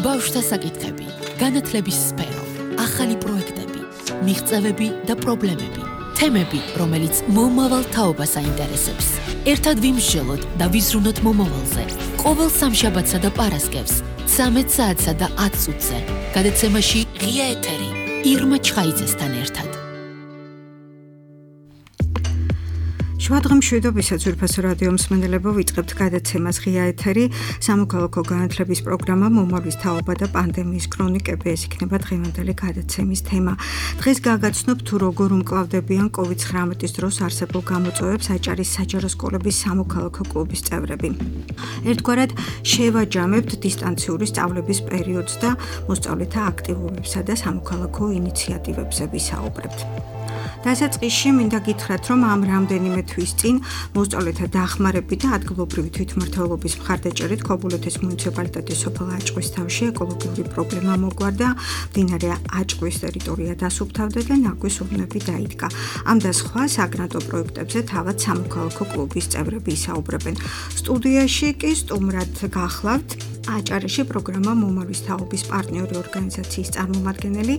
ბავშვთა საკითხები, განათლების სფერო, ახალი პროექტები, მიღწევები და პრობლემები, თემები, რომელიც მომავალ თაობას აინტერესებს. ერთად ვიმსჯელოთ და ვიზრუნოთ მომავალზე. ყოველ სამშაბათსა და პარასკევს 13 საათსა და 10 წუთზე. გადაცემაში ღია ეთერი ირმა ჩხაიძესთან ერთად. შუადღემშვიდობისა ძვირფასო რადიო მსმენელებო, ვიწყებთ გადაცემას ღია ეთერი, სამოქალაქო განათლების პროგრამა მომავლის თაობა და პანდემიის ქრონიკები, ეს იქნება დღევანდელი გადაცემის თემა. დღეს გაგაცნობთ თუ როგორ უმკლავდებიან COVID-19 დროს არსებულ გამოწვევებს აჭარის საჯარო სკოლების სამოქალაქო კლუბის წევრები. ერთგვარად შევაჯამებთ დისტანციური სწავლების პერიოდს და მოსწავლეთა აქტივობებსა და სამოქალაქო ინიციატივებზე ვისაუბრებთ. დასაწყისში მინდა გითხრათ, რომ ამ რამდენიმე თვის წინ მოსწავლეთა დახმარებით და ადგილობრივი თვითმმართველობის მხარდაჭერით ქობულეთის მუნიციპალიტეტის სოფელ აჭყვის თავში ეკოლოგიური პრობლემა მოგვარდა, მდინარე აჭყვის ტერიტორია დასუფთავდა და ნაგვის ურნები დაიდგა. ამ და სხვა საგრანტო პროექტებზე თავად სამოქალაქო კლუბის წევრები ისაუბრებენ. სტუდიაში კი სტუმრად გახლავთ აჭარაში პროგრამა მომავლის თაობის პარტნიორი ორგანიზაციის წარმომადგენელი,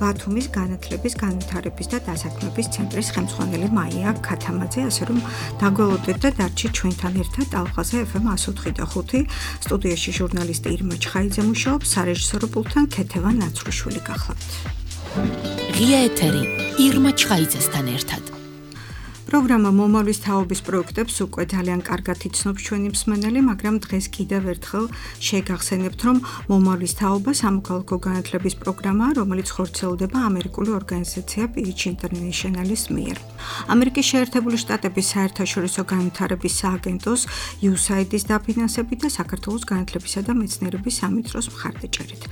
ბათუმის განათლების, განვითარების და დასაქმების ცენტრის ხელმძღვანელი მაია ქათამაძე, ასე რომ დაგველოდეთ და დარჩით ჩვენთან ერთად ალღაზე FM 104.5. სტუდიაში ჟურნალისტი ირმა ჩხაიძე მუშაობს, სარეჟისორო პულტთან ქეთევან ნაცრუშვილი გახლავთ. ღია ეთერი ირმა ჩხაიძესთან ერთად. პროგრამა მომავლის თაობის პროექტებს უკვე ძალიან კარგად იცნობს ჩვენი მსმენელი, მაგრამ დღეს კიდევ ერთხელ შეგახსენებთ, რომ მომავლის თაობა სამოქალაქო განათლების პროგრამაა, რომელიც ხორციელდება ამერიკული ორგანიზაცია PH International-ის მიერ. ამერიკის შეერთებული შტატების საერთაშორისო განვითარების სააგენტოს USAID-ის დაფინანსებით და საქართველოს განათლებისა და მეცნიერების სამინისტროს მხარდაჭერით.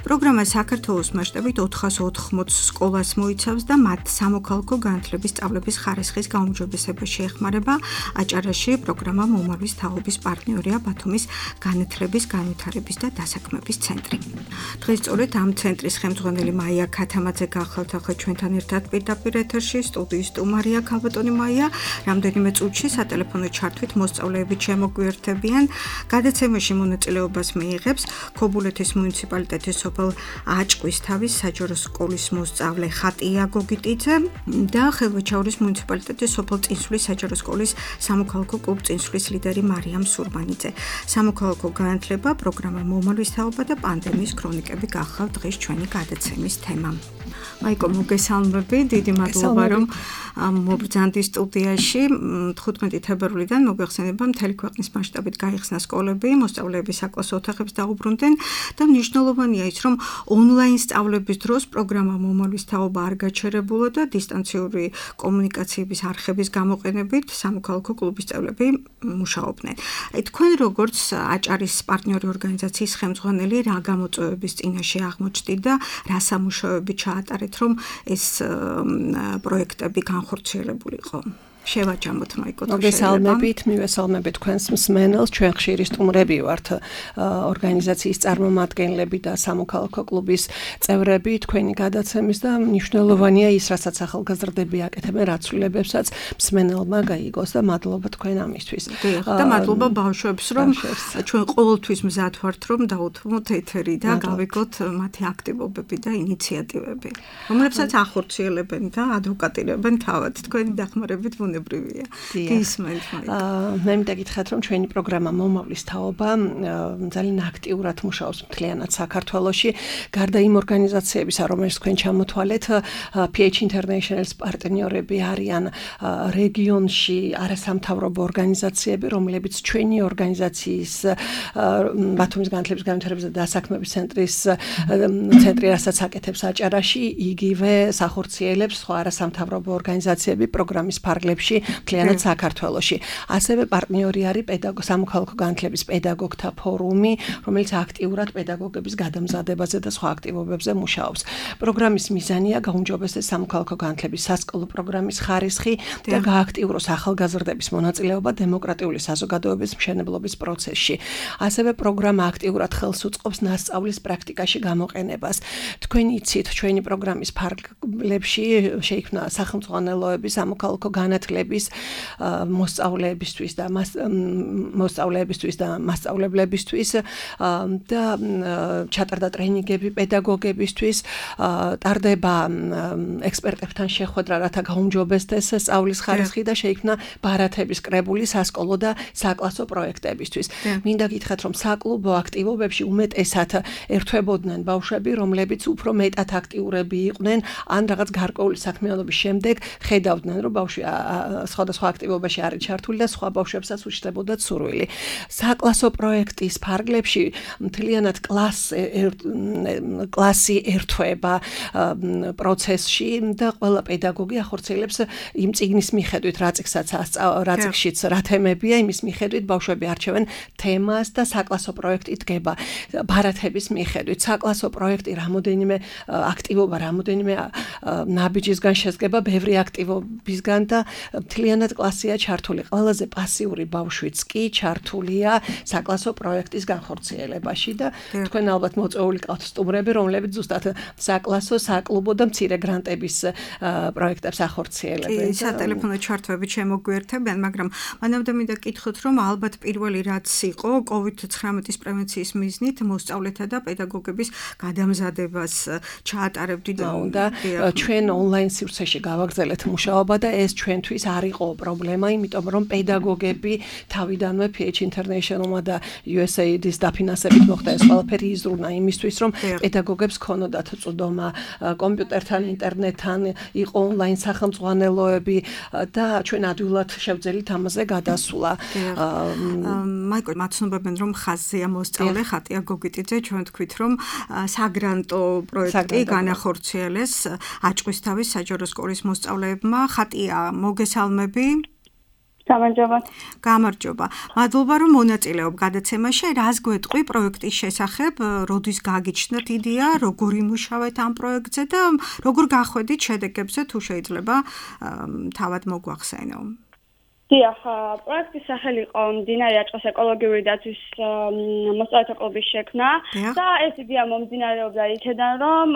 პროგრამა საქართველოს მასშტაბით 480 სკოლას მოიცავს და მათ სამოქალაქო განათლების სწავლების ხარისხის გაუმჯობესებაში ეხმარება. აჭარაში პროგრამა მომავლის თაობის პარტნიორია ბათუმის განათლების, განვითარების და დასაქმების ცენტრი. დღეს სწორედ ამ ცენტრის ხელმძღვანელი მაია ქათამაძე გახლავთ ახლა ჩვენთან ერთად პირდაპირ ეთერში, სტუდიის სტუმარია ქალბატონი მაია. რამდენიმე წუთში სატელეფონო ჩართვით მოსწავლეები შემოგვიერთებიან. გადაცემაში მონაწილეობას მიიღებს ქობულეთის მუნიციპალიტეტის სოფელ აჭყვის თავის საჯარო სკოლის მოსწავლე ხატია გოგიტიძე და ხელვაჩაურის მუნიციპალიტეტის სოფელ წინსვლის საჯარო სკოლის სამოქალაქო კლუბ წინსვლის ლიდერი მარიამ სურმანიძე. სამოქალაქო განათლება, პროგრამა მომავლის თაობა და პანდემიის ქრონიკები გახლავთ დღეს ჩვენი გადაცემის თემა. მაიკო, მოგესალმები, დიდი მადლობა რომ მობრძანდი სტუდიაში. 15 თებერვლიდან მოგვეხსენება მთელი ქვეყნის მასშტაბით გაიხსნა სკოლები, მოსწავლეები საკლასო ოთახებს დაუბრუნდნენ და მნიშვნელოვანია ის, რომ ონლაინ სწავლების დროს პროგრამა მომავლის თაობა არ გაჩერებულა და დისტანციური კომუნიკაციების არხების გამოყენებით სამოქალაქო კლუბის წევრები მუშაობდნენ. თქვენ როგორც აჭარის პარტნიორი ორგანიზაციის ხელმძღვანელი, რა გამოწვევების წინაშე აღმოჩნდით და რა სამუშაოები ჩაატარეთ, რომ ეს პროექტები განხორციელებულიყო? შევაჯამოთ მაიკო. მივესალმებით თქვენს მსმენელს, ჩვენ ხშირი სტუმრები ვართ ორგანიზაციის წარმომადგენლები და სამოქალაქო კლუბის წევრები თქვენი გადაცემის და მნიშვნელოვანია ის, რასაც ახალგაზრდები აკეთებენ, რაც ცვლილებებსაც მსმენელმა გაიგოს და მადლობა თქვენ ამისთვის. და მადლობა ბავშვებს, რომ ჩვენ ყოველთვის მზად ვართ, რომ დაუთმოთ ეთერი და გავიგოთ მათი აქტივობები და ინიციატივები, რომლებსაც ახორციელებენ და ადვოკატირებენ თავად. თქვენი დახმარებით გისმენთ. მე მინდა გითხრათ, რომ ჩვენი პროგრამა მომავლის თაობა ძალიან აქტიურად მუშაობს მთლიანად საქართველოში. გარდა იმ ორგანიზაციებისა, რომელშიც თქვენ ჩამოთვალეთ, PH International-ის პარტნიორები არიან რეგიონში არასამთავრობო ორგანიზაციები, რომლებიც ჩვენი ორგანიზაციის ბათუმის განათლების, განვითარების და დასაქმების ცენტრი, რასაც აკეთებს აჭარაში, იგივე სახორციელებს სხვა არასამთავრობო ორგანიზაციები პროგრამის ფარგლებში მთლიანად საქართველოში. ასევე პარტნიორი არის სამოქალაქო განათლების პედაგოგთა ფორუმი, რომელიც აქტიურად პედაგოგების გადამზადებაზე და სხვა აქტივობებზე მუშაობს. პროგრამის მიზანია გაუმჯობესდეს სამოქალაქო განათლების სასკოლო პროგრამის ხარისხი და გააქტიუროს ახალგაზრდების მონაწილეობა დემოკრატიული საზოგადოების მშენებლობის პროცესში. ასევე პროგრამა აქტიურად ხელს უწყობს ნასწავლის პრაქტიკაში გამოყენებას. თქვენ იცით, ჩვენი პროგრამის ფარგლებში შეიქმნა სახელმძღვანელოები, სამოქალაქო განათლების განათლების მოსწავლეებისთვის და მასწავლებლებისთვის და ჩატარდა ტრენინგები პედაგოგებისთვის, ტარდება ექსპერტებთან შეხვედრა, რათა გაუმჯობესდეს სწავლის ხარისხი და შეიქმნა ბარათების კრებული სასკოლო და საკლასო პროექტებისთვის. მინდა გითხრათ, რომ საკლუბო აქტივობებში უმეტესად ერთვებოდნენ ბავშვები, რომლებიც უფრო მეტად აქტიურები იყვნენ, ან რაღაც გარკვეული საქმიანობის შემდეგ ხედავდნენ, რომ ბავშვი სხვადასხვა აქტივობაში არის ჩართული და სხვა ბავშვებსაც უშლებოდათ სურვილი. საკლასო პროექტის ფარგლებში მთლიანად კლასი ერთვება პროცესში და ყველა პედაგოგი ახორციელებს იმ წიგნის მიხედვით, რა წიგნშიც რა თემებია, იმის მიხედვით ბავშვები არჩევენ თემას და საკლასო პროექტი დგება ბარათების მიხედვით. საკლასო პროექტი რამოდენიმე აქტივობა, რამოდენიმე ნაბიჯისგან შედგება, ბევრი აქტივობისგან და მთლიანად კლასია ჩართული. ყველაზე პასიური ბავშვიც კი ჩართულია საკლასო პროექტის განხორციელებაში და თქვენ ალბათ მოწვეული ყავთ სტუმრები, რომლებიც ზუსტად საკლასო, საკლუბო და მცირე გრანტების პროექტებს ახორციელებენ. კი, სატელეფონო ჩართვებით შემოგვიერთებიან, მაგრამ მანამდე მინდა გითხოთ, რომ ალბათ პირველი რაც იყო COVID-19 პრევენციის მიზნით მოსწავლეთა და პედაგოგების გადამზადებას ჩაატარებდით და ჩვენ ონლაინ სივრცეში გავაგრძელეთ მუშაობა და ეს ჩვენთვის არ იყო პრობლემა, იმიტომ რომ პედაგოგები თავიდანვე PH International-მა და USAID-ის დაფინანსებით მოხდა ეს ყველაფერი იზრუნა იმისთვის, რომ პედაგოგებს ქონოდათ წვდომა კომპიუტერთან, ინტერნეტთან, იყო ონლაინ სახელმძღვანელოები და ჩვენ ადვილად შევძელით ამაზე გადასვლა. მაიკო მაცნობებენ, რომ ხაზზეა მოსწავლე ხატია გოგიტიძე, ჩვენ თქვით, რომ საგრანტო პროექტი განახორციელეს აჭყვისთავის საჯარო სკოლის მოსწავლეებმა. ხატია, მოგესალმები. გამარჯობა. მადლობა, რომ მონაწილეობ გადაცემაში. რას გვეტყვი პროექტის შესახებ, როდის გაგიჩნდათ იდეა, როგორ იმუშავეთ ამ პროექტზე და როგორ გახვედით შედეგებზე, თუ შეიძლება თავად მოგვახსენო. დიახ, პროექტის სახელი იყო მდინარე აჭყოს ეკოლოგიური დაცვის მოსწავლეთა კლუბის შექმნა და ეს იდეა მომდინარეობდა იქედან, რომ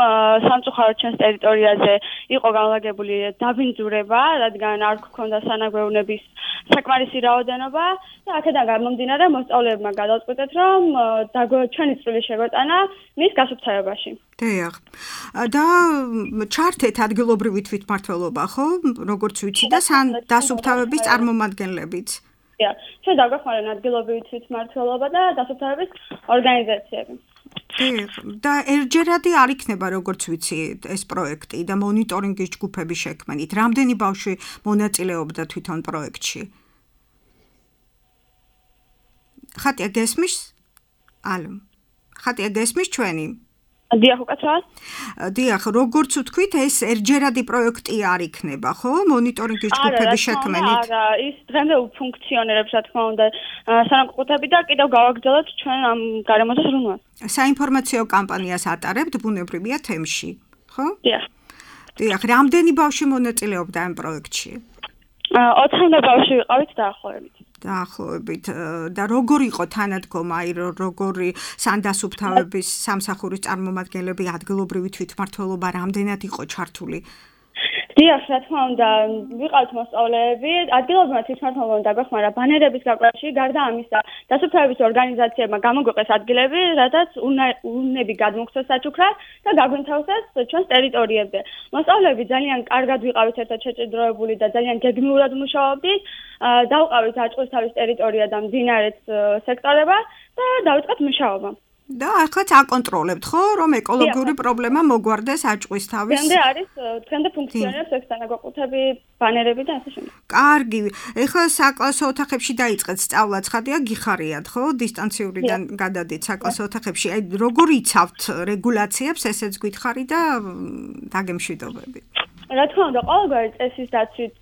სამწუხაროდ ჩვენს ტერიტორიაზე იყო განლაგებული დაბინძურება, რადგან არ გქონდა სანაგვეუნების საკმარისი რაოდენობა და აქედან გამომდინარე მოსწავლეებმა გადაწყვიტეთ, რომ ჩვენი წვლილი შეგვეტანა მის გასუფთავებაში. დიახ. და ჩართეთ ადგილობრივი თვითმმართველობა, ხო? როგორც ვიცი და დასუფთავების წარმომადგენლებიც. დიახ. ჩვენ დაგვეხმარებიან ადგილობრივი თვითმმართველობა და დასუფთავების ორგანიზაციები. და ერთჯერადი არ იქნება, როგორც ვიცი, ეს პროექტი და მონიტორინგის ჯგუფების შექმნით. რამდენი ბავშვი მონაწილეობდა თვითონ პროექტში? ხატია გესმის? ალო. ხატია გესმის ჩვენი? დიახ, უკაცრავად. დიახ, როგორც ვთქვით, ეს ერთჯერადი პროექტი არ იქნება, ხო? მონიტორინგის ჯგუფების შექმნით. არა, ის დღემდე უფუნქციონირებს, რა თქმა უნდა, სანაკუთრებით და კიდევ გავაგრძელებთ ჩვენ ამ გარემოზე ზრუნვას. საინფორმაციო კამპანიას ატარებთ ბუნებრივია თემში, ხო? დიახ. დიახ, რამდენი ბავშვი მონაწილეობდა ამ პროექტში? 20 ბავშვი ვიყავით დაახლოებით. დაახლოებით და როგორ იყო თანადგომა, როგორი სანდასუფთავების სამსახურის წარმომადგენლები, ადგილობრივი თვითმმართველობა რამდენად იყო ჩართული? დიახ, რა თქმა უნდა, ვიყავთ მოსწავლეები, ადგილობრივმა თვითმმართველობამ დაგვეხმარა ბანერების გაკვეთაში, გარდა ამისა, დასუფთავების ორგანიზაციებმა გამოგვიყეს ადგილები, რადგან უნები გადმოგცეს საჩუქრად და გაგვინთავსეს ჩვენს ტერიტორიებზე. მოსწავლეები ძალიან კარგად ვიყავით ერთად შეჭიდროებული და ძალიან გეგმიურად მუშაობდით. დავყავით აჭყისთავის ტერიტორია და მდინარეს სექტორება და დავიწყეთ მუშაობა. და ახლა აკონტროლებთ, ხო, რომ ეკოლოგიური პრობლემა მოგვარდეს აჭყისთავის. დღემდე ფუნქციონირებს ეს დანაგვაკუთები, ბანერები და ასე შემდეგ. კარგი. ეხლა საკლასო ოთახებში დაიწყეთ სწავლა, ცხადია, გიხარიათ, ხო? დისტანციურიდან გადადით საკლასო ოთახებში. აი, როგორ იცავთ რეგულაციებს, ესეც გითხარი და დაგემშვიდობები. რა თქმა უნდა, ყოველგვარი წესის დაცვით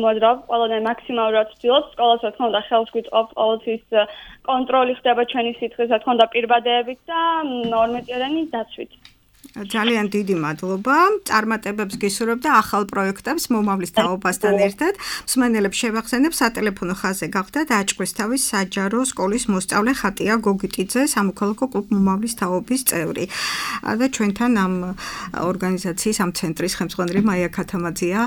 მოძრავ, ყველანაირ მაქსიმალურად ვცდილობ სკოლას, რა თქმა უნდა, ხელს გვიწყობ ყოველთვის კონტროლი ხდება ჩვენი სითხის, რა თქმა უნდა, პირბადეებით და 12-იანი დაცვით. ძალიან დიდი მადლობა. წარმატებებს გისურვებ და ახალ პროექტებს მომავლის თაობასთან ერთად. მსმენელებს შევახსენებ სატელეფონო ხაზზე გახდათ აჭყვისთავის საჯარო სკოლის მოსწავლე ხატია გოგიტიძე, სამოქალაქო კლუბ მომავლის თაობის წევრი. და ჩვენთან ამ ორგანიზაციის ამ ცენტრის ხელმძღვანელი მაია ქათამაძეა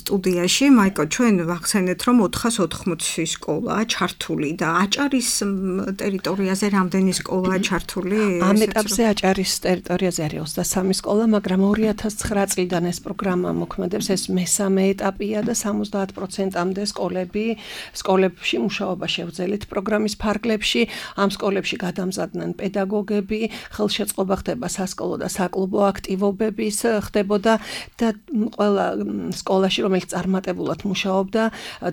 სტუდიაში. მაიკო, ჩვენ ვახსენეთ, რომ 480 სკოლაა ჩართული და აჭარის ტერიტორიაზე რამდენი სკოლაა ჩართული? ამ ეტაპზე აჭარის ტერიტორიაზე არის 23 სკოლა, მაგრამ 2009 წლიდან ეს პროგრამა მოქმედებს, ეს მესამე ეტაპია და 70%-მდე სკოლებში მუშაობა შევძელით პროგრამის ფარგლებში. ამ სკოლებში გადამზადდნენ პედაგოგები, ხელშეწყობა ხდება სასკოლო და საკლუბო აქტივობების ხდებოდა და ყველა სკოლაში, რომელიც წარმატებულად მუშაობდა,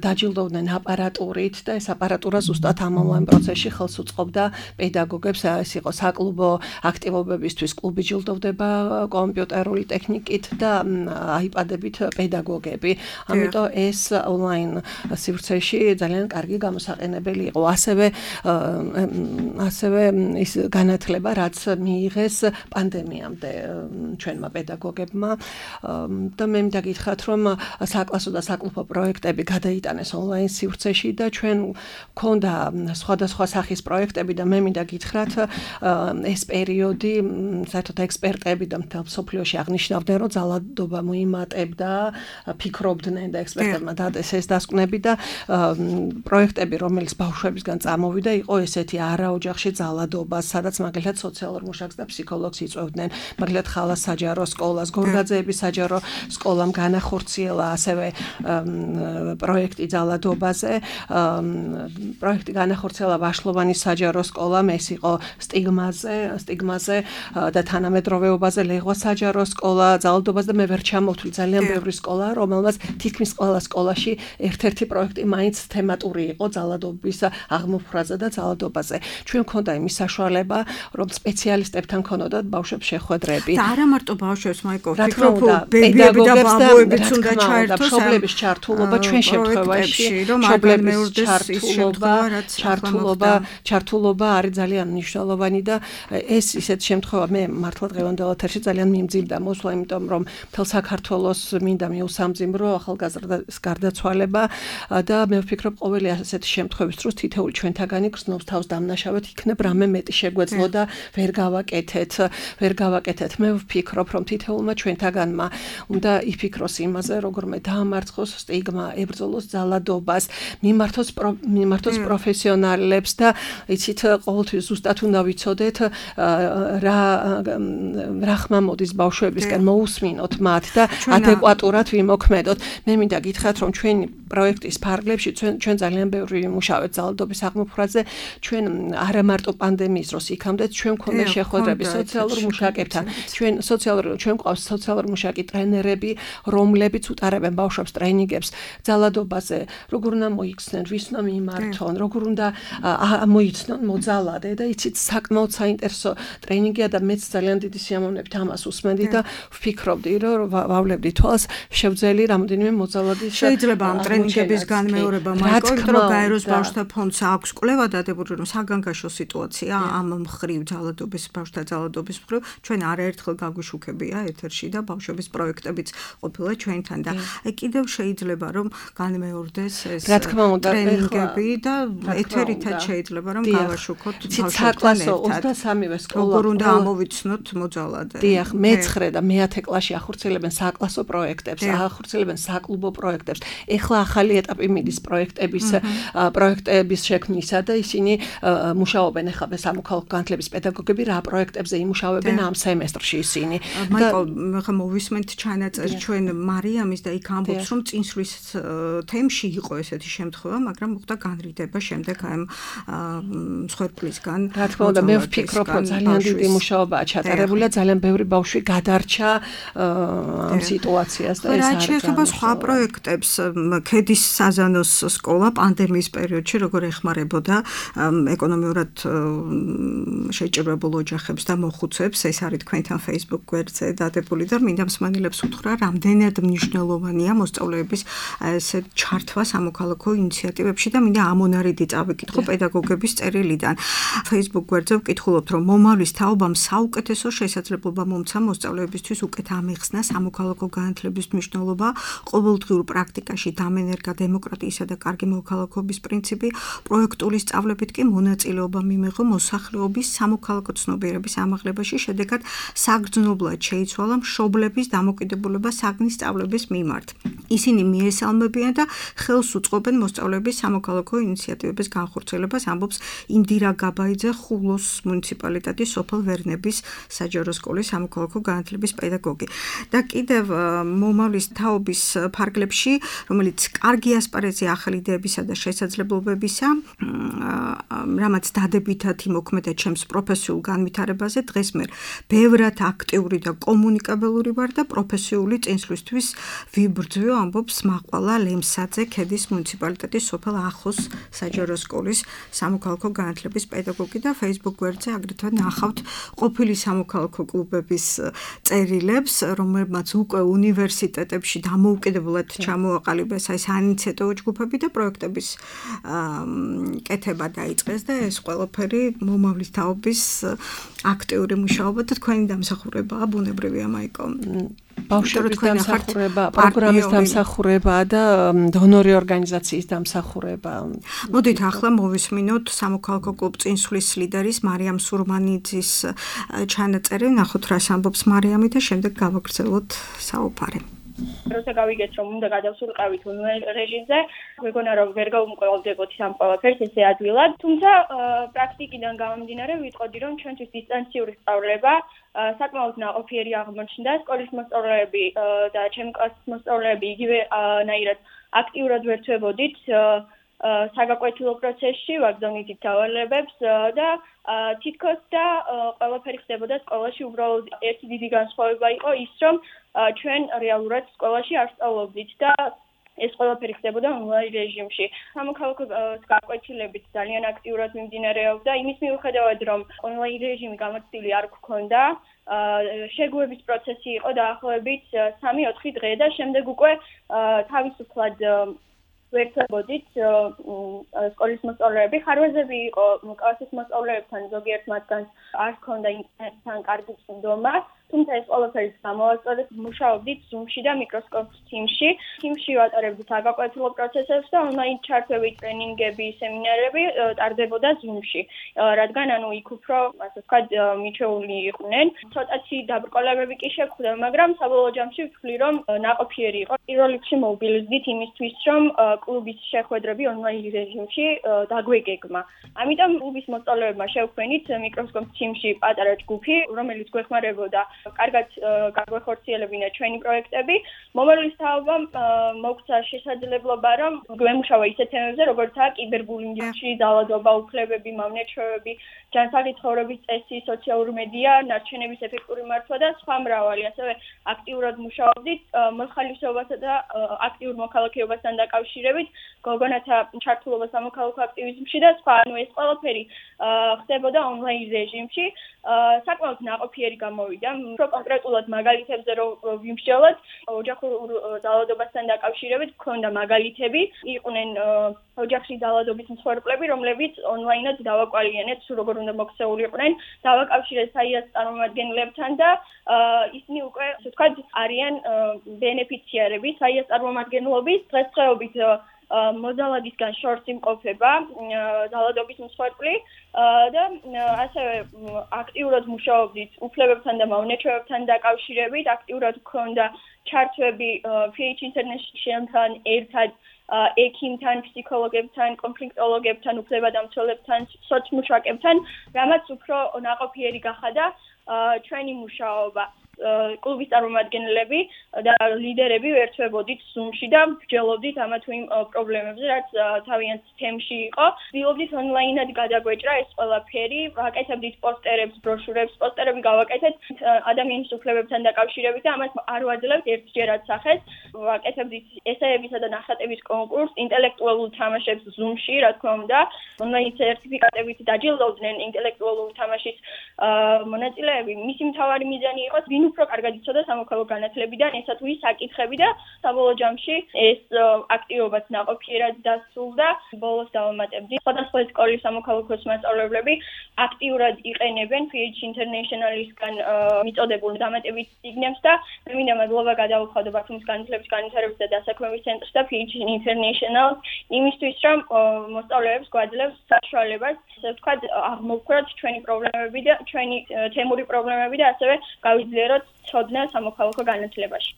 დაჯილდოვდნენ აპარატურით და ეს აპარატურა ზუსტად ამ ონლაინ პროცესში ხელს უწყობდა პედაგოგებს, ეს იყო საკლუბო აქტივობებისთვის კლუბი ჯილდოვდება კომპიუტერული ტექნიკით და აიპადებით პედაგოგები. ამიტომ ეს ონლაინ სივრცეში ძალიან კარგი გამოსაყენებელი იყო. ასევე ის განათლება, რაც მიიღეს პანდემიამდე ჩვენმა პედაგოგებმა და მე მინდა გითხრათ, რომ საკლასო და საკლუბო პროექტები გადაიტანეს ონლაინ სივრცეში და ჩვენ გვქონდა სხვადასხვა სახის პროექტები და მე მინდა გითხრათ, ეს პერიოდი საერთოდ ექსპერტები და მთელ სოფლიოში აღნიშნავდნენ, რომ ძალადობა მოიმატებდა, ფიქრობდნენ და ექსპერტებმა დადეს ეს დასკვნები და პროექტები, რომელიც ბავშვებისგან წამოვიდა, იყო ესეთი არაოჯახში ძალადობა, სადაც მაგალითად სოციალურ მუშაკს და ფსიქოლოგს იწვევდნენ, მაგალითად ხალას საჯარო სკოლას, გორგაძეების საჯარო სკოლამ განახორციელა ასევე პროექტი ძალადობაზე, პროექტი განახორციელა ვაშლოვანის საჯარო სკოლამ, ეს იყო სტიგმაზე და თანამედროვეობაზე ლეღვა საჯარო სკოლა, ძალადობაზე და მე ვერ ჩამოვთვლი ძალიან ბევრი სკოლა, რომელმაც თითქმის ყველა სკოლაში ერთ-ერთი პროექტი მაინც თემატური იყო ძალადობის აღმოფხვრაზე და ძალადობაზე. ჩვენ მქონდა იმის საშუალება, რომ სპეციალისტებთან ქონოდათ ბავშვებს შეხვედრები. და არა მარტო ბავშვებს, მაიკო, ფიქრობ პედაგოგებს და ბაბუებიც უნდა ჩაერთოს მშობლების ჩართულობა ჩვენ შემთხვევაში, ჩართულობა არის ძალიან მნიშვნელოვანი და ეს ისეთ შემთხვევა მე მართლა დღევანდელ ეთერში ძალიან მიმძიმდა მოსვლა, იმიტომ რომ მთელ საქართველოს მინდა მიუსამძიმრო ახალგაზრდას გარდაცვალება და მე ვფიქრობ ყოველი ასეთი შემთხვევის დროს თითოეული ჩვენთაგანი გრძნობს თავს დამნაშავედ, იქნებ რამე მეტი შეგვეძლო და ვერ გავაკეთეთ. მე ვფიქრობ, რომ თითოეულმა ჩვენთაგანმა უნდა იფიქროს იმაზე, როგორმე დაამარცხოს სტიგმა, ებრძოლოს ძალადობას, მიმართოს პროფესიონალებს და იცით ყოველთვის ზუსტად უნდა ვიცოდეთ რა ხმა მოდის ბავშვებისგან, მოусმინოთ მათ და ადეკვატურად ვიმოქმედოთ. მე მინდა გითხრათ, რომ ჩვენი პროექტის ფარგლებში ჩვენ ძალიან ბევრი ვიმუშავეთ ძალადობის აღმოფხვრაზე. ჩვენ არა მარტო პანდემიის დროს იქამდეც ჩვენ გვქონდა შეხვედრები სოციალურ მუშაკებთან. ჩვენ გვყავს სოციალურ მუშაკი ტრენერები, რომლებიც უტარებენ ბავშვებს ტრენინგებს ძალადობაზე, როგორ უნდა მოიქცნენ, ვის უნდა მიმართონ, როგორ უნდა მოიცნონ მოძალადე და იცით საკმაოდ საინტერესო ტრენინგია და მეც ძალიან დიდი სიამოვნებით ამას უსმენდი და ვფიქრობდი, რომ ვავლებდი თვალს შევძელი რამოდენიმე მოძალადის შეიძლება ამ ტრენინგების განმეორება, მაიკო, რომ გაეროს ბავშვთა ფონდს აქვს კვლევა დადებული, რომ საგანგაშო სიტუაცია ამ მხრივ ძალადობის ბავშვთა ძალადობის მხრივ ჩვენ არაერთხელ გაგვიშუქებია ეთერში და ბავშვების პროექტებიც ყოფილა ჩვენთან და კიდევ შეიძლება რომ განმეორდეს ეს ტრენინგები და ეთერითაც შეიძლება რომ გავაშუქოთ ბავშვებთან ერთად. 23-ვე სკოლა როგორ უნდა ამოვიცნოთ მოძალადე. დიახ, მე-9 და მე-10 კლასში ახორციელებენ საკლასო პროექტებს, ახორციელებენ საკლუბო პროექტებს. ეხლა ახალი ეტაპი მიდის პროექტების შექმნისა და ისინი მუშაობენ ეხლა სამოქალაქო განათლების პედაგოგები რა პროექტებზე იმუშავებენ ამ სემესტრში ისინი. მაიკო, ხა მოვისმენთ ჩანაწერი ჩვენ მარიამის და იქ ამბობს, რომ წინსვლის თემში იყო ესეთი შემთხვევა, მაგრამ მოხდა განრიდება შემდეგ ამ მსხვერპლისგან. რა თქმა უნდა, მე ვფიქრობ, რომ ძალიან დიდი მუშაობაა ჩატარებული და ძალიან ბევრი ბავშვი გადარჩა ამ სიტუაციას და ეს არის. რა შეეხება სხვა პროექტებს, ქედის საზანოს სკოლა პანდემიის პერიოდში როგორ ეხმარებოდა ეკონომიურად შეჭირებულ ოჯახებს და მოხუცებს, ეს არის თქვენთან Facebook გვერდზე დადებული და მინდა მსმენელებს უთხრა, რამდენად მნიშვნელოვანია მოსწავლეების ესე ჩართვა სამოქალაქო ინიციატივებში და მინდა ამონარიდი წავიკითხო პედაგოგების წერილიდან. Facebook გვერდზე ვკითხულობთ, რომ მომავლის თაობამ საუკეთესო შესაძლებლობა მომცა მოსწავლეებისთვის უკეთ ამეხსნა სამოქალაქო განათლების მნიშვნელობა, ყოველდღიურ პრაქტიკაში დამენერგა დემოკრატიისა და კარგი მოქალაქობის პრინციპი, პროექტული სწავლებით კი მონაწილეობა მიიღო მოსახლეობის სამოქალაქო ცნობიერების ამაღლებაში, შედეგად საგრძნობლად შეიცვალა მშობლების დამოკიდებულება საგნის სწავლების მიმართ. ისინი მიესალმებიან და ხელს უწყობენ მოსწავლეების სამოქალაქო ინიციატივების განხორციელებას, ამბობს ინდირა გაბაიძე, ხულოს მუნიციპალიტეტის სოფელ ვერნების საჯარო სკოლის სამოქალაქო განათლების პედაგოგი. და კიდევ მომავლის თაობის ფარგლებში, რომელიც კარგი ასპარეზი ახალი იდეებისა და შესაძლებლობებისა, რამაც დადებითად იმოქმედა ჩემს პროფესიულ განვითარებაზე, დღეს მე ბევრად აქტიური და კომუნიკაბელური ვარ და პროფესიული წინსვლისთვის ვიბრძვიო, ამბობს მაყვალა ლემსაძე, ქედის მუნიციპალიტეტის სოფელ ახოს საჯარო სკოლის სამოქალაქო განათლების პედაგოგი და Facebook გვერდზე აგრეთვე ნახავთ ყოფილი სამოქალაქო კლუბების წერილებს, რომლებმაც უკვე უნივერსიტეტებში დამოუკიდებლად ჩამოაყალიბეს აი საინიციატივო ჯგუფები და პროექტების კეთება დაიწყეს და ეს ყველაფერი მომავლის თაობის აქტიური მუშაობა და თქვენი დამსახურებაა, ბუნებრივია მაიკო. ბავშვების დამსახურება, პროგრამის დამსახურება და დონორი ორგანიზაციის დამსახურება. მოდით ახლა მოვისმინოთ სამოქალაქო კლუბ წინსვლის ლიდერის მარიამ სურმანიძის ჩანაწერი, ნახოთ რას ამბობს მარიამი და შემდეგ გავაგრძელოთ საუბარი. როცა გავიგეთ, რომ უნდა გადავსულიყავით ონლაინ რეჟიმზე, მეგონა რომ ვერ გავუმკვლელდებოდი ამ ყველაფერს ესე ადვილად, თუმცა პრაქტიკიდან გამომდინარე ვიტყოდი, რომ ჩვენთვის დისტანციური სწავლება საკმაოდ ნაყოფიერი აღმოჩნდა. სკოლის მოსწავლეები და ჩემი კლასის მოსწავლეები იგივე ნაირად აქტიურად ვერთვებოდით საგაკვეთილო პროცესში, ვაგზავნით დავალებებს და თითქოს და ყველაფერი ხდებოდა სკოლაში, უბრალოდ ერთი დიდი განსხვავება იყო ის, რომ ჩვენ რეალურად სკოლაში არ სწავლობდით და ეს ყველაფერი ხდებოდა ონლაინ რეჟიმში. სამოქალაქო გაკვეთილებით ძალიან აქტიურად მიმდინარეობდა იმის მიუხედავად, რომ ონლაინ რეჟიმი გამოცდილი არ გქონდა, შეგუების პროცესი იყო დაახლოებით 3-4 დღე და შემდეგ უკვე თავისუფლად ვერთვებოდით სკოლის მოსწავლეები. ხარვეზები იყო კლასის მოსწავლეებთან, ზოგიერთ მათგანს არ ჰქონდა ინტერნეტთან კარგი წვდომა, თუმცა ეს ყველაფერი გამოვაწოდეთ, მუშაობდით Zoom-ში და Microsoft Teams-ში. Teams-ში ვატარებდით საგაკვეთილო პროცესებს და ონლაინ ჩართვები, ტრენინგები, სემინარები ტარდებოდა Zoom-ში, რადგან ანუ იქ უფრო, ასე ვთქვათ, მიჩეული იყვნენ. ცოტათი დაბრკოლებები კი შეგვხვდა, მაგრამ საბოლოო ჯამში ვთვლი, რომ ნაყოფიერი იყო. პირველ რიგში მოვბილიზდით იმისთვის, რომ კლუბის შეხვედრები ონლაინ რეჟიმში დაგვეგეგმა. ამიტომ კლუბის მოსწავლეებმა შევქმნით Microsoft Teams-ში პატარა ჯგუფი, რომელიც გვეხმარებოდა კარგად გაგვეხორციელებინა ჩვენი პროექტები. მომავლის თაობამ მოგცა შესაძლებლობა, რომ გვემუშავა ისეთ თემებზე, როგორიცაა კიბერბულინგში, ძალადობა, უფლებები, მავნეჩვევები, ჯანსაღი ცხოვრების წესი, სოციალური მედია, ნარჩენების ეფექტური მართვა და სხვა მრავალი. ასევე აქტიურად მუშაობდით მოხალისეობასა და აქტიურ მოქალაქეობასთან დაკავშირებით, გოგონათა ჩართულობა სამოქალაქო აქტივიზმში და სხვა. ანუ ეს ყველაფერი ხდებოდა ონლაინ რეჟიმში. საკმაოდ ნაყოფიერი გამოვიდა. უფრო კონკრეტულად მაგალითებზე რომ ვიმსჯელოთ, ოჯახურ ძალადობასთან დაკავშირებით გქონდა მაგალითები, იყვნენ ოჯახში ძალადობის მსხვერპლები, რომლებიც ონლაინად დავაკვალიანეთ, როგორ უნდა მოქცეულიყვნენ, დავაკავშირეთ საიას წარმომადგენლებთან და ისინი უკვე, ასე ვთქვათ, არიან ბენეფიციარები საიას წარმომადგენლობის. დღესდღეობით მოძალადისგან შორს იმყოფება ძალადობის მსხვერპლი და ასევე აქტიურად მუშაობდით უფლებებთან და მავნეჩვევებთან დაკავშირებით, აქტიურად გქონდა ჩართვები PH International-თან ერთად ექიმთან, ფსიქოლოგებთან, კონფლიქტოლოგებთან, უფლებადამცველებთან, სოციმუშაკებთან, რამაც უფრო ნაყოფიერი გახადა ჩვენი მუშაობა. კლუბის წარმომადგენლები და ლიდერები ვერთვებოდით Zoom-ში და ვგრძელობდით ამა თუ იმ პრობლემებზე, რაც თავიანთ თემში იყო. ვცდილობდით ონლაინად გადაგვეჭრა ეს ყველაფერი, ვაკეთებდით პოსტერებს, ბროშურებს, პოსტერები გავაკეთეთ ადამიანის უფლებებთან დაკავშირებით და ამას არ ვაძლევთ ერთჯერად სახეს. ვაკეთებდით ესეებისა და ნახატების კონკურსს, ინტელექტუალურ თამაშებს Zoom-ში, რა თქმა უნდა, ონლაინ სერტიფიკატებით დაჯილდოვდნენ ინტელექტუალური თამაშის მონაწილეები, მისი მთავარი მიზანი იყო ვინ უფრო კარგად იცოდა სამოქალაქო განათლებიდან ესა თუ ის საკითხები და საბოლოო ჯამში ეს აქტივობაც ნაყოფიერად დასრულდა. ბოლოს დავამატებდი, სხვადასხვა სკოლის სამოქალაქო მასწავლებლები აქტიურად იყენებენ PH International-ისგან მიწოდებულ დამატებით სიგნებს და მე მინდა მადლობა გადავუხადო ბათუმის განათლების განვითარების და დასაქმების ცენტრს და PH International იმისთვის, რომ მოსწავლეებს გვაძლევს საშუალებას, ასე ვთქვათ, აღმოვქვრათ ჩვენი პრობლემები და ჩვენი თემური პრობლემები და ასევე გავიძლიეროთ ცოდნა სამოქალაქო განათლებაში.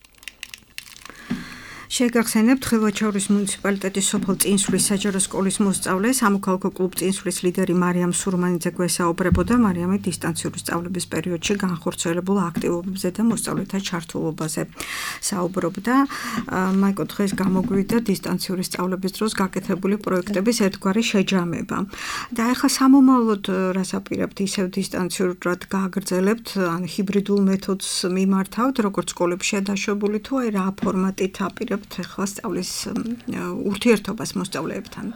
შეგახსენებთ ხილვაჩაურის მუნიციპალიტეტის სოფელ წინსვლის საჯარო სკოლის მოსწავლე სამოქალაქო კლუბ წინსვლის ლიდერი მარიამ სურმანიძე გვესაუბრებოდა მარიამი დისტანციური სწავლების პერიოდში განხორციელებულ აქტივობებზე და მოსწავლეთა ჩართულობაზე საუბრობდა. მაიკო დღეს გამოგვივიდა დისტანციური სწავლების დროს გაკეთებული პროექტების ერთგვარი შეჯამება. და ეხლა სამომავლოდ რას აპირებთ ისევ დისტანციურად გააგრძელებთ, ან ჰიბრიდულ მეთოდს მიმართავთ, როგორც სკოლებშია დაშვებული თუ აი რა ფორმატით აპირებთ ეხლა სწავლის ურთიერთობას მოსწავლეებთან?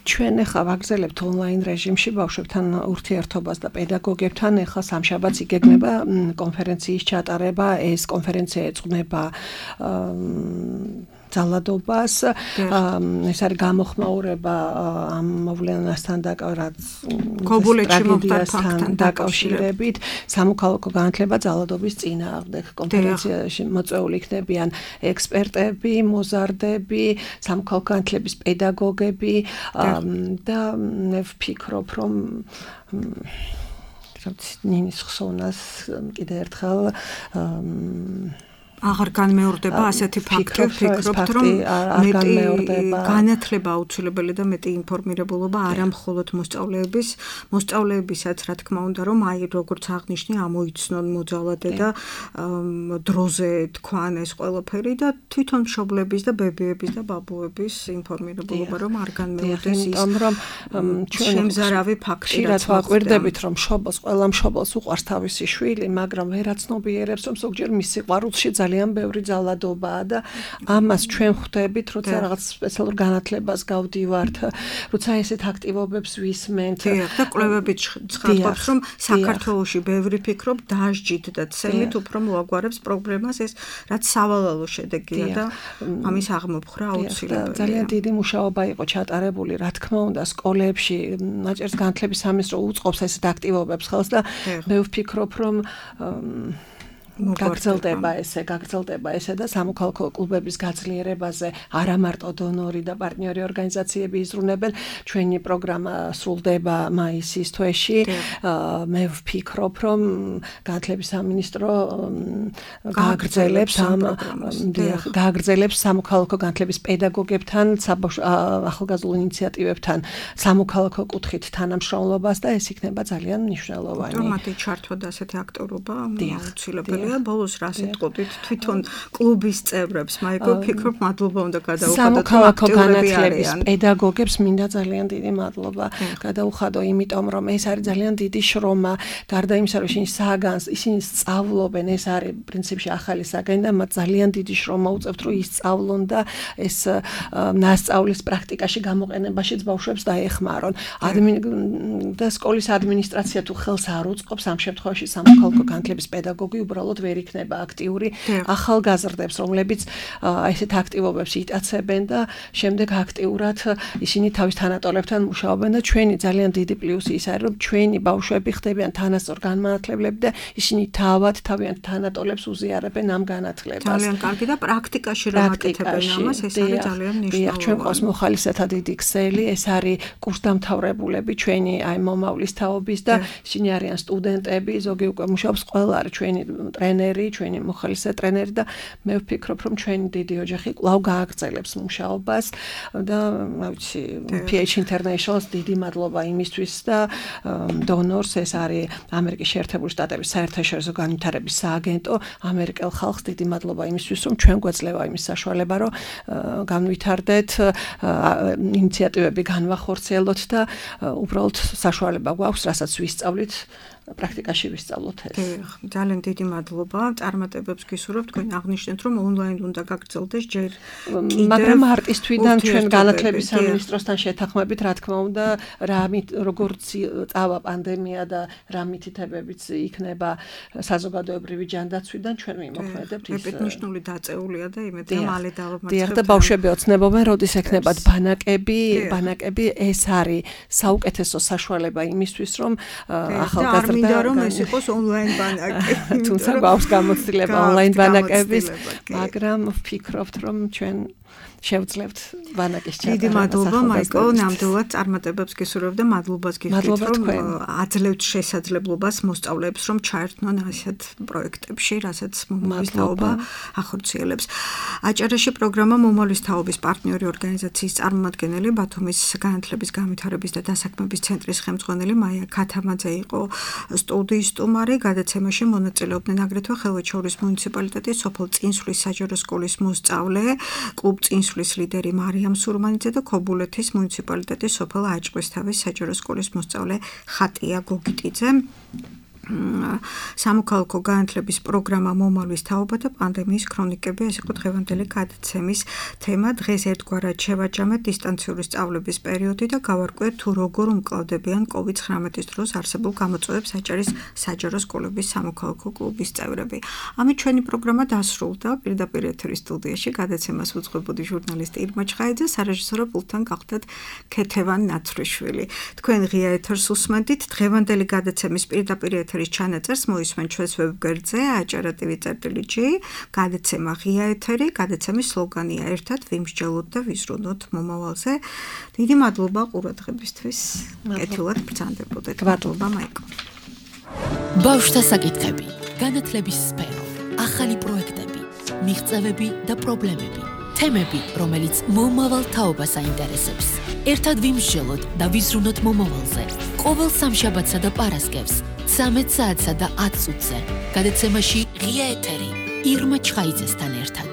ჩვენ ეხლა ვაგრძელებთ ონლაინ რეჟიმში ბავშვებთან ურთიერთობას და პედაგოგებთან. ეხლა სამშაბათს იგეგმება კონფერენციის ჩატარება. ეს კონფერენცია ეძღვნება ძალადობას. ეს არის გამოხმაურება ამ მოვლენასთან დაკავშირებით. სამოქალაქო განათლება ძალადობის წინააღმდეგ. კონფერენციაში მოწვეული იქნებიან ექსპერტები, მოზარდები, სამოქალაქო განათლების პედაგოგები და მე ვფიქრობ, რომ ნინის ხსოვნას კიდე ერთხელ აღარ განმეორდება ასეთი ფაქტი, ვფიქრობთ, რომ მეტი განათლება აუცილებელი და მეტი ინფორმირებულობა არა მხოლოდ მოსწავლეებისაც, რა თქმა უნდა, რომ აი როგორც აღნიშნე, ამოიცნონ მოძალადე და დროზე თქვან ეს ყველაფერი და თვითონ მშობლების და ბებიების და ბაბუების ინფორმირებულობა რომ არ განმეორდეს ის, რომ შემზარავი ფაქტი რაც ვაკვირდებით, რომ ყველა მშობელს უყვარს თავისი შვილი, მაგრამ ვერაცნობიერებს, რომ ზოგჯერ მის სიყვარულში ძალიან ბევრი ძალადობაა და ამას ჩვენ ხვდებით, როცა რაღაც სპეციალურ განათლებას გავდივართ, როცა ესეთ აქტივობებს ვისმენთ. და კვლევებით ცხადყოფს, რომ საქართველოში ბევრი ფიქრობ დასჯით და ცემით უფრო მოაგვარებს პრობლემას ეს, რაც სავალალო შედეგია და ამის აღმოფხრა აუცილებელია. ძალიან დიდი მუშაობა იყო ჩატარებული, რა თქმა უნდა, სკოლებში, ნაჭერს განათლების სამინისტრო უწყობს ესეთ აქტივობებს ხელს და მე ვფიქრობ, რომ გაგრძელდება ესე და სამოქალაქო კლუბების გაძლიერებაზე არა მარტო დონორი და პარტნიორი ორგანიზაციები იზრუნებენ. ჩვენი პროგრამა სრულდება მაისის თვეში. მე ვფიქრობ, რომ განათლების სამინისტრო გააგრძელებს სამოქალაქო განათლების პედაგოგებთან, ახალგაზრდულ ინიციატივებთან სამოქალაქო კუთხით თანამშრომლობას და ეს იქნება ძალიან მნიშვნელოვანი. მათი ჩართვა და ასეთი აქტიურობა აუცილებელია. ბოლოს რას იტყოდით თვითონ კლუბის წევრებს, მაიკო, ვფიქრობ, მადლობა უნდა გადაუხადოთ სამოქალაქო განათლების პედაგოგებს, მინდა ძალიან დიდი მადლობა გადაუხადო, იმიტომ რომ ეს არის ძალიან დიდი შრომა, გარდა იმისა, რომ ისინი სწავლობენ, ეს არის პრინციპში ახალი საგანი და მათ ძალიან დიდი შრომა უწევთ, რომ ისწავლონ და ეს ნასწავლის პრაქტიკაში გამოყენებაშიც ბავშვებს დაეხმარონ. და სკოლის ადმინისტრაცია თუ ხელს არ უწყობს, ამ შემთხვევაში სამოქალაქო განათლების პედაგოგი უბრალოდ ვერ იქნება აქტიური. ახალგაზრდებს, რომლებიც ესეთ აქტივობებს იტაცებენ და შემდეგ აქტიურად ისინი თავის თანატოლებთან მუშაობენ და ჩვენი ძალიან დიდი პლუსი ის არის, რომ ჩვენი ბავშვები ხდებიან თანასწორ განმანათლებლები და ისინი თავიანთ თანატოლებს უზიარებენ ამ განათლებას. ძალიან კარგი და პრაქტიკაში რომ აკეთებენ ამას, ეს არის ძალიან მნიშვნელოვანი. ჩვენ ყავს მოხალისეთა დიდი ქსელი, ეს არის კურსდამთავრებულები ჩვენი აი მომავლის თაობის და ისინი არიან სტუდენტები, ზოგი უკვე მუშაობს, ყველა არის ჩვენი ტრენერი, ჩვენი მოხალისე ტრენერი და მე ვფიქრობ, რომ ჩვენი დიდი ოჯახი კვლავ გააგრძელებს მუშაობას და ვიცი, PH International-ს დიდი მადლობა იმისთვის და დონორს, ეს არის ამერიკის შეერთებული შტატების საერთაშორისო განვითარების სააგენტო, ამერიკელ ხალხს დიდი მადლობა იმისთვის, რომ ჩვენ გვეძლევა იმის საშუალება, რომ განვითარდეთ, ინიციატივები განვახორციელოთ და უბრალოდ საშუალება გვაქვს, რასაც ვისწავლით პრაქტიკაში ვისწავლოთ ეს. ძალიან დიდი მადლობა. წარმატებებს გისურვებთ. თქვენ აღნიშნეთ, რომ ონლაინ უნდა გაგრძელდეს ჯერ კიდევ, მაგრამ მარტის თვიდან ჩვენ განათლების სამინისტროსთან შეთანხმებით, რა თქმა უნდა, როგორც წავა პანდემია და რა მითითებებიც იქნება საზოგადოებრივი ჯანდაცვიდან, ჩვენ ვიმოქმედებთ ის. მეპეთნიშნული დაწეულია და იმედია მალე დავამარცხებთ. დიახ და ბავშვები ოცნებობენ, როდის ექნებათ ბანაკები, ეს არის საუკეთესო საშუალება იმისთვის, რომ ახალგაზრდა და რომ ეს იყოს ონლაინ ბანაკი. თუმცა გვაქვს გამოცდილება ონლაინ ბანაკების, მაგრამ ვფიქრობთ, რომ ჩვენ შევძლებთ ბანაკის ჩატარებას. დიდი მადლობა მაიკო, ნამდვილად წარმატებებს გისურვებთ და მადლობას გიხდით, რომ აძლევთ შესაძლებლობას მოსწავლეებს, რომ ჩაერთონ ასეთ პროექტებში, რასაც მომავლის თაობა ახორციელებს. აჭარაში პროგრამა მომავლის თაობის პარტნიორი ორგანიზაციის წარმომადგენელი, ბათუმის განათლების განვითარების და დასაქმების ცენტრის ხელმძღვანელი მაია ქათამაძე იყო სტუდიის სტუმარი. გადაცემაში მონაწილეობდნენ აგრეთვე ხევეჩორის მუნიციპალიტეტის სოფელ წინსვლის საჯარო სკოლის მოსწავლე, კლუბ წინსვლის ლიდერი მარიამ სურმანიძე და ქობულეთის მუნიციპალიტეტის სოფელ აჭყვისთავის საჯარო სკოლის მოსწავლე ხატია გოგიტიძე. სამოქალაქო განათლების პროგრამა მომავლის თაობა და პანდემიის ქრონიკები, ეს იყო დღევანდელი გადაცემის თემა. დღეს ერთგვარად შევაჯამეთ დისტანციური სწავლების პერიოდი და გავარკვიეთ თუ როგორ უმკლავდებიან COVID-19 დროს არსებულ გამოწვევებს აჭარის საჯარო სკოლების სამოქალაქო კლუბის წევრები. ამით ჩვენი პროგრამა დასრულდა. პირდაპირ ეთერის სტუდიაში გადაცემას უძღვებოდი ჟურნალისტი ირმა ჩხაიძე, სარეჟისორო პულტთან გახდათ ქეთევან ნაცრიშვილი. თქვენ ღია ეთერს უსმენთ. დღევანდელი გადაცემის პირდაპირ ეთერის ჩანაწერს მოისმენთ ჩვენს ვებგვერდზე acara.tv.g. გადაცემა ღია ეთერი, გადაცემის სლოგანია ერთად ვიმსჯელოთ და ვიზრუნოთ მომავალზე. დიდი მადლობა ყურადღებისთვის. კეთილად ბრძანდებოდეთ. მადლობა მაიკო. ბავშვთა საკითხები, განათლების სფერო, ახალი პროექტები, მიღწევები და პრობლემები. თემები, რომელიც მომავალ თაობას აინტერესებს. ერთად ვიმსჯელოთ და ვიზრუნოთ მომავალზე. ყოველ სამშაბათსა და პარასკევს 13 საათსა და 10 წუთზე. გადაცემაში ღია ეთერი ირმა ჩხაიძესთან ერთად.